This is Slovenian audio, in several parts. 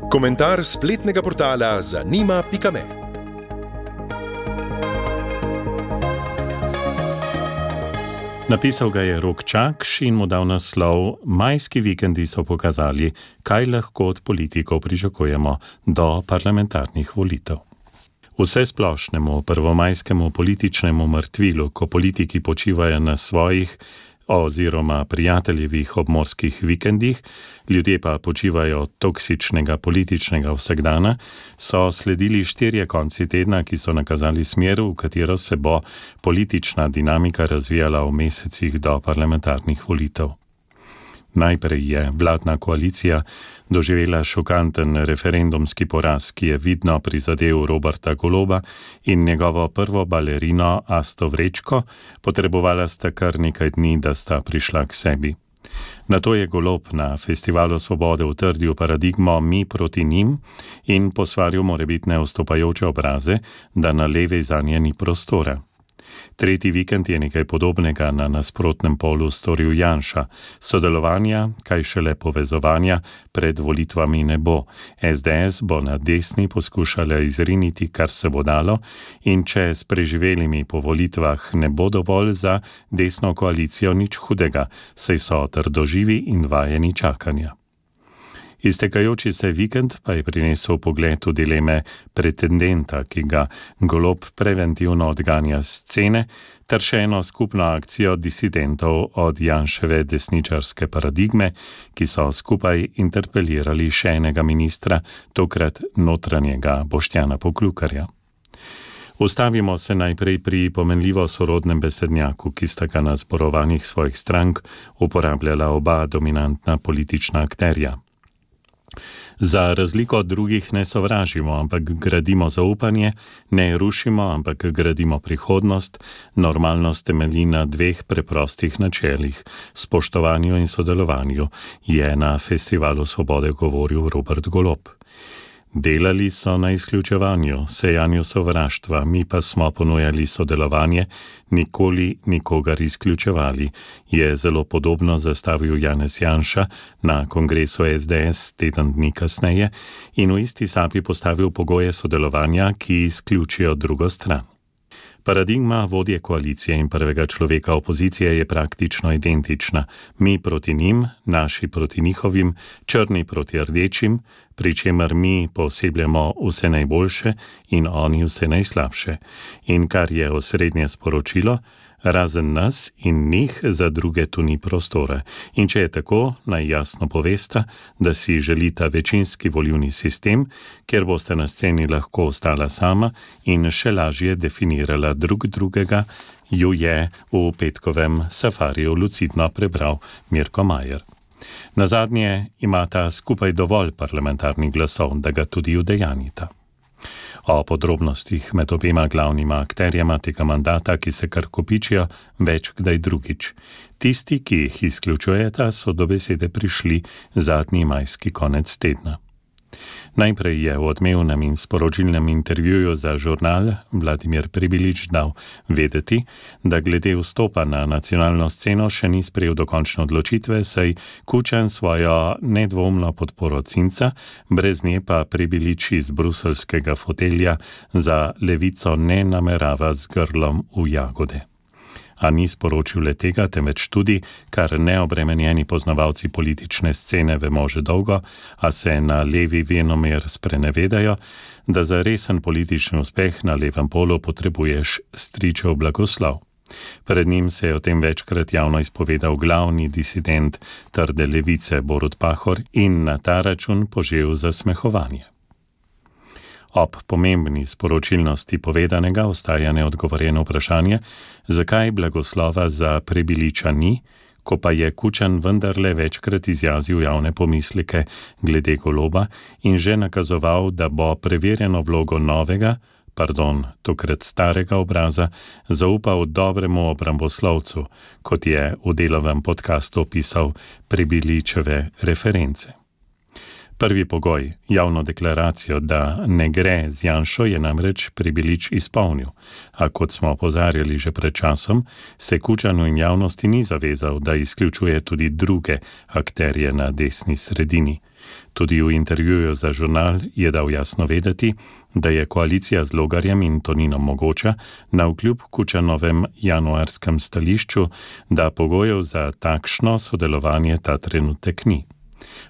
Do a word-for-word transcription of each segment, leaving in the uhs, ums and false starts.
Komentar spletnega portala zanima pika me. Napisal ga je Rok Čakš in mu dal naslov Majski vikendi so pokazali, kaj lahko od politikov pričakujemo do parlamentarnih volitev. Vse splošnemu prvomajskemu političnemu mrtvilu, ko politiki počivajo na svojih oziroma prijateljevih obmorskih vikendih, ljudje pa počivajo od toksičnega političnega vsakdana, so sledili štirje konci tedna, ki so nakazali smer, v katero se bo politična dinamika razvijala v mesecih do parlamentarnih volitev. Najprej je vladna koalicija doživela šokanten referendumski poraz, ki je vidno prizadel Roberta Goloba in njegovo prvo balerino Asto Vrečko, potrebovala sta kar nekaj dni, da sta prišla k sebi. Nato je Golob na Festivalu svobode utrdil paradigmo mi proti njim in posvaril morebitne vstopajoče obraze, da na levi zanje ni prostora. Tretji vikend je nekaj podobnega na nasprotnem polu storil Janša. Sodelovanja, kaj šele povezovanja, pred volitvami ne bo. es de es bo na desni poskušala izriniti, kar se bo dalo, in če s preživelimi po volitvah ne bo dovolj za desno koalicijo, nič hudega, saj so trdoživi in vajeni čakanja. Iztekajoči se vikend pa je prinesel pogled v dileme pretendenta, ki ga Golob preventivno odganja s scene, ter še eno skupno akcijo disidentov od Janševe desničarske paradigme, ki so skupaj interpelirali še enega ministra, tokrat notranjega Boštjana Poklukarja. Ustavimo se najprej pri pomenljivo sorodnem besednjaku, ki sta ga na zborovanjih svojih strank uporabljala oba dominantna politična akterja. Za razliko od drugih ne sovražimo, ampak gradimo zaupanje, ne rušimo, ampak gradimo prihodnost, normalnost temelji na dveh preprostih načelih, spoštovanju in sodelovanju, je na Festivalu svobode govoril Robert Golob. Delali so na izključevanju, sejanju sovraštva, mi pa smo ponujali sodelovanje, nikoli nikogar izključevali, je zelo podobno zastavil Janez Janša na kongresu es de es teden dni kasneje in v isti sapi postavil pogoje sodelovanja, ki izključijo drugo stran. Paradigma vodje koalicije in prvega človeka opozicije je praktično identična. Mi proti njim, naši proti njihovim, črni proti rdečim, pri čemer mi posebljamo vse najboljše in oni vse najslabše. In kar je osrednje sporočilo, razen nas in njih za druge tu ni prostora. In če je tako, naj jasno povesta, da si želita večinski volilni sistem, kjer boste na sceni lahko ostala sama in še lažje definirala drug drugega, ju je v petkovem safariju lucidno prebral Mirko Majer. Nazadnje imata skupaj dovolj parlamentarnih glasov, da ga tudi udejanjita. O podrobnostih med obema glavnima akterjema tega mandata, ki se kar kopičijo, več kdaj drugič. Tisti, ki jih izključujeta, so do besede prišli zadnji majski konec tedna. Najprej je v odmevnem in sporočilnem intervjuju za žurnal Vladimir Prebilič dal vedeti, da glede vstopa na nacionalno sceno še ni sprejel dokončne odločitve, saj Kučan svojo nedvoumno podporo Cinca, brez nje pa Prebilič iz bruselskega fotelja za Levico ne namerava z grlom v jagode. A ni sporočil le tega, temveč tudi, kar neobremenjeni poznavalci politične scene vemo že dolgo, a se na levi venomer sprenevedajo, da za resen politični uspeh na levem polu potrebuješ stričev blagoslov. Pred njim se je o tem večkrat javno izpovedal glavni disident trde levice Borut Pahor in na ta račun požel zasmehovanje. Ob pomembni sporočilnosti povedanega ostaja neodgovorjeno vprašanje, zakaj blagoslova za Prebiliča ni, ko pa je Kučan vendarle večkrat izjazil javne pomisleke glede Goloba in že nakazoval, da bo preverjeno vlogo novega, pardon, tokrat starega obraza, zaupal dobremu obramboslovcu, kot je v Delovem podcastu opisal Prebiličeve reference. Prvi pogoj, javno deklaracijo, da ne gre z Janšo, je namreč Prebilič izpolnil, a kot smo opozarjali že pred časom, se Kučanu in javnosti ni zavezal, da izključuje tudi druge akterje na desni sredini. Tudi v intervjuju za žurnal je dal jasno vedeti, da je koalicija z Logarjem in Toninom mogoča navkljub Kučanovem januarskem stališču, da pogojev za takšno sodelovanje ta trenutek ni.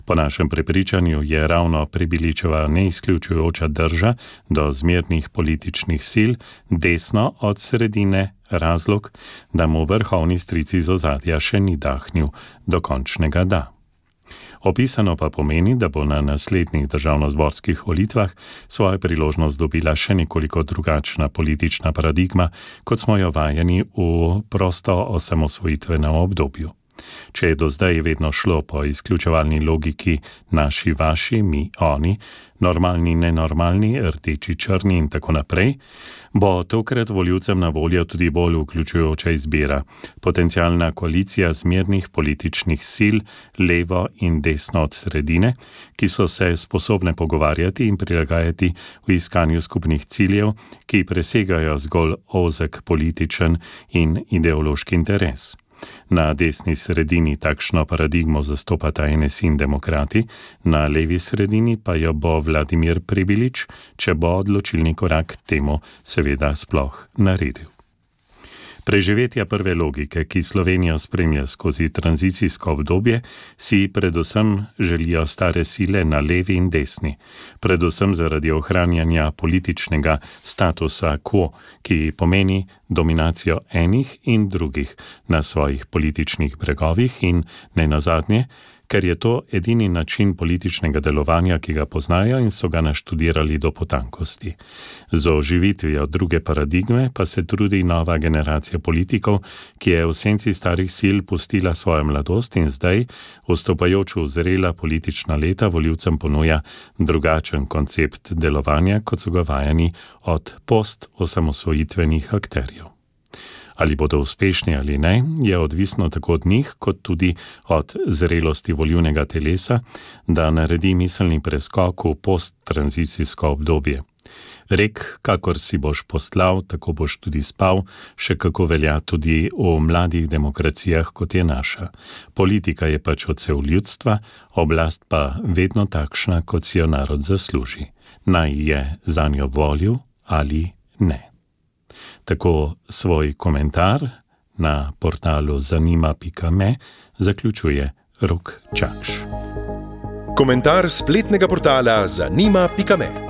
Po našem prepričanju je ravno Prebiličeva neizključujoča drža do zmernih političnih sil desno od sredine razlog, da mu vrhovni stric iz ozadja še ni dahnil do končnega da. Opisano pa pomeni, da bo na naslednjih državnozborskih volitvah svojo priložnost dobila še nekoliko drugačna politična paradigma, kot smo jo vajeni v prosto osamosvojitvenem obdobju. Če je do zdaj vedno šlo po izključevalni logiki naši, vaši, mi, oni, normalni, nenormalni, rdeči, črni in tako naprej, bo tokrat volivcem na voljo tudi bolj vključujoča izbira, potencialna koalicija zmernih političnih sil, levo in desno od sredine, ki so se sposobne pogovarjati in prilagajati v iskanju skupnih ciljev, ki presegajo zgolj ozek političen in ideološki interes. Na desni sredini takšno paradigmo zastopata N S I in demokrati, na levi sredini pa jo bo Vladimir Prebilič, če bo odločilni korak temu seveda sploh naredil. Preživetja prve logike, ki Slovenijo spremlja skozi tranzicijsko obdobje, si predvsem želijo stare sile na levi in desni, predvsem zaradi ohranjanja političnega statusa quo, ki pomeni dominacijo enih in drugih na svojih političnih bregovih in nenazadnje, ker je to edini način političnega delovanja, ki ga poznajo in so ga naštudirali do potankosti. Z oživitvijo druge paradigme pa se trudi nova generacija politikov, ki je v senci starih sil pustila svojo mladost in zdaj, vstopajoč v zrela politična leta, volivcem ponuja drugačen koncept delovanja, kot so ga vajeni od post-osamosvojitvenih akterjev. Ali bodo uspešni ali ne, je odvisno tako od njih, kot tudi od zrelosti volivnega telesa, da naredi miselni preskok v posttranzicijsko obdobje. Rek, kakor si boš postlal, tako boš tudi spal, še kako velja tudi v mladih demokracijah, kot je naša. Politika je pač odsev ljudstva, oblast pa vedno takšna, kot si jo narod zasluži. Naj je zanjo volil ali ne. Tako svoj komentar na portalu zanima pika me zaključuje Rok Čakš. Komentar spletnega portala zanima pika me.